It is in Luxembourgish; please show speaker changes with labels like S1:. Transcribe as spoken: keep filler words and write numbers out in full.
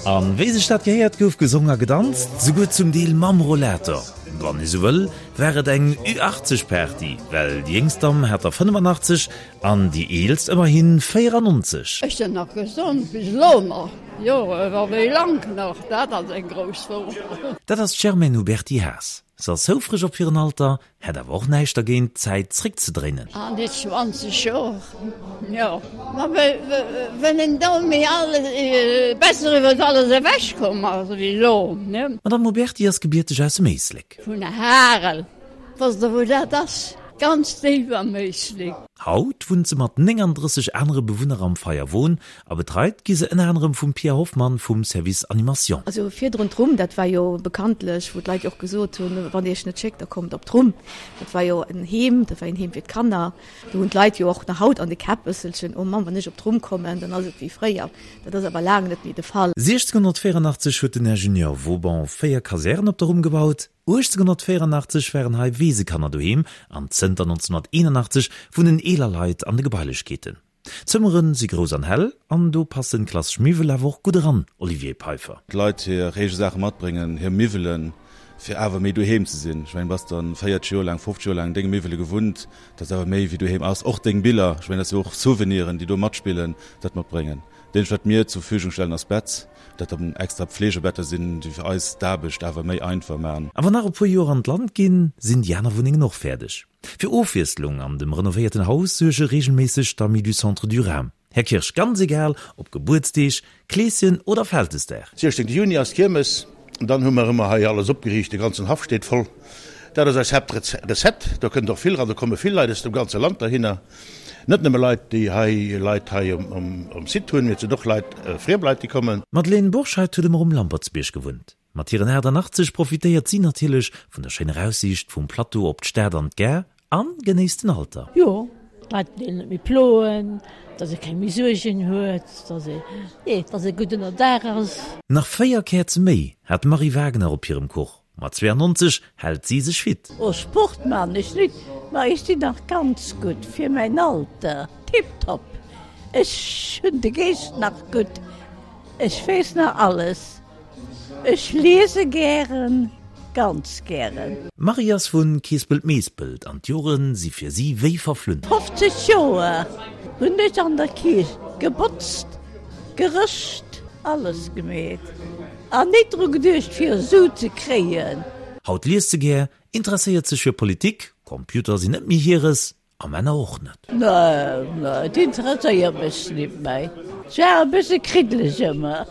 S1: An wéi sech dat gehéiert gouf gesong a gedanzt, souguer zum Deel mam Rollator. Wann ee sou wëll, war et eng Ü achtzeg Party, well déi jéngst Damm hat der fënnefanachtzesch an déi eelst ëmmerhi véierannonzeg.
S2: Ech sinn nach gesond, bis elo nach, jo, awer wéi lank nach, dat ass eng grouss Fro.
S1: Dat ass d'Germaine Huberty-Haas. Se ass houfreg op hiren Alter, hätt awer och näischt dergéint, d'Zäit zréckzedréinen.
S2: An déi zwanzeg Joer, jo. Ma wann een do méi alles, besser iwwer alles ewechkomm ass wéi elo, ne?
S1: D'Madame Huberty ass gebierteg aus dem Éislek.
S2: Vun Harel. Wosst Der, wou dat ass? Ganz déif am Éislek.
S1: Haut wunnt se mat nénganddrësseg anere Bewunner am Feierwon a betreit gi se ënner anerem vum Pia Hoffmann vum Service Animation.
S3: Also virdrun d'Rumm, dat war jo bekanntlech, wou d'Leit jo och gesot hunn, wann Dir iech net schéckt, da kommt op d'Rumm. Dat war jo en Heem, dat war en Heem fir d'Kanner. Do hunn d'Leit jo och nach haut an de Käpp bësselchen, oh Mamm, wann ech op d'Rumm kommen, dann ass et wéi fréier. Dat ass awer laang net méi de Fall.
S1: siechzehnhunnertvéieranachtzeg huet den Ingenieur Vauban véier Kasären op der Rumm gebaut. uechtzénhunnertvéieranachtzeg waren hei Weesekanner doheem an zënter nonzénhunnerteenanachtzeg wunnen eeler Leit an de Gebailechkeeten. D'Zëmmere si grouss an hell an do passen klassesch Miwwel awer och gutt eran, Olivier Peiffer.
S4: D'Leit hir eege Saache matbréngen, hir Miwwelen, fir awer méi doheem ze sinn. Ech mengen, bass dann véierteg Joer laang, fofzeg Joer laang denge Miwwele gewunnt, dat ass awer méi wéi doheem ass. Och deng Biller, ech mengen, dat si och Souveniren, déi do matspillen, dat matbréngen. Dat eenzegt, wat mir zur Verfügung stellen, ass Bett, dat dann extra Pflegebetter sinn, déi fir eis d'Aarbecht awer méi einfach maachen.
S1: A wann nach e puer Joer an d'Land ginn, sinn déi aner Wunnengen och fäerdeg. Fir Ofwiesslung an dem renovéierten Haus suerge reegelméisseg d'Amis du Centre du Rham. Här Kirsch, ganz egal ob Gebuertsdeeg, Kleeschen oder Vältesdag.
S5: Siechzéngte Juni ass d'Kiermes, dann hu mer ëmmer hei alles opgeriicht, de ganzen Haff steet voll. Dat ass eis Haaptrecette. Do kënnt och vill eran, do komme vill Leit aus dem ganze Land dohinner. Net nëmme Leit, déi hei Leit hei um Site hunn, mee et sinn och Leit, friem Leit, déi kommen.
S1: D'Madeleine Bourscheid huet ëmmer um Lampertsbierg gewunnt. Mat hiren aachtanachtzesch profitéiert si natierlech vun der schéiner Aussiicht vum Plateau op d'Stad an d'Gare a genéisst den Alter.
S6: Jo, d'Leit déi een net méi ploen, dass ee keng méi Suergen huet, dass ee, nee, dass ee gutt ënnerdaach ass.
S1: Nach véier Käerze méi hat d'Marie Wagner op hirem Kuch. Mat zweeanonnzeg hält si sech fit.
S6: Oh, Sport man ech nit, ma ech sinn nach ganz gutt fir mäin Alter, tiptop. Ech hunn de Geescht nach gutt, ech weess nach alles. Ech liese gären, ganz gären.
S1: D'Marie ass vu Keespelt-Meespelt an d'Jore si fir si wéi verflunn.
S6: Fofzeg Joer hunn ech an der Kierch gebotzt, gerëscht, alles gemeet. An nit dru geduecht fir Su ze kréien.
S1: Haut liest se gär, interesséiert sech fir Politik, Computer sinn net méi hires, a Männer och net.
S6: Nee, nee, et interesséiert mech nit méi. Et war e bësse kriddeleg ëmmer.